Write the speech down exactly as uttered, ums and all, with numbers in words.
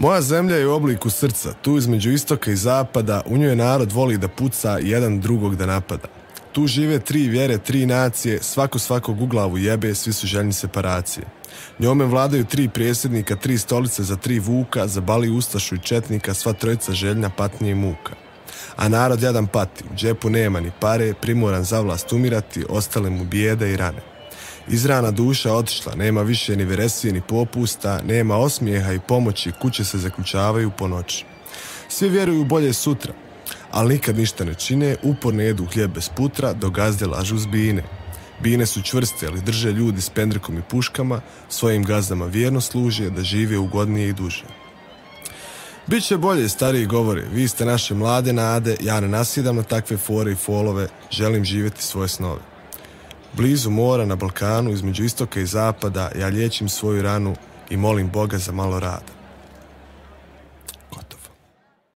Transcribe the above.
Moja zemlja je u obliku srca, tu između istoka i zapada, u njoj narod voli da puca, jedan drugog da napada. Tu žive tri vjere, tri nacije, svako svakog u glavu jebe, svi su željni separacije. Njome vladaju tri prijesednika, tri stolice za tri vuka, zabali ustašu i četnika, sva trojica željna patnje i muka. A narod jadan pati, u džepu nema ni pare, primoran za vlast umirati, ostale mu bijede i rane. Izrana duša otišla, nema više ni veresije ni popusta, nema osmijeha i pomoći, kuće se zaključavaju po noći. Svi vjeruju u bolje sutra, ali nikad ništa ne čine, uporno jedu hljeb bez putra, do gazde lažu s bine. Bine su čvrste, ali drže ljudi s pendrekom i puškama, svojim gazdama vjerno služe da žive ugodnije i duže. Biće bolje, stariji govore, vi ste naše mlade nade, ja ne nasjedam na takve fore i folove, želim živjeti svoje snove. Blizu mora na Balkanu, između istoka i zapada, ja liječim svoju ranu i molim Boga za malo rada.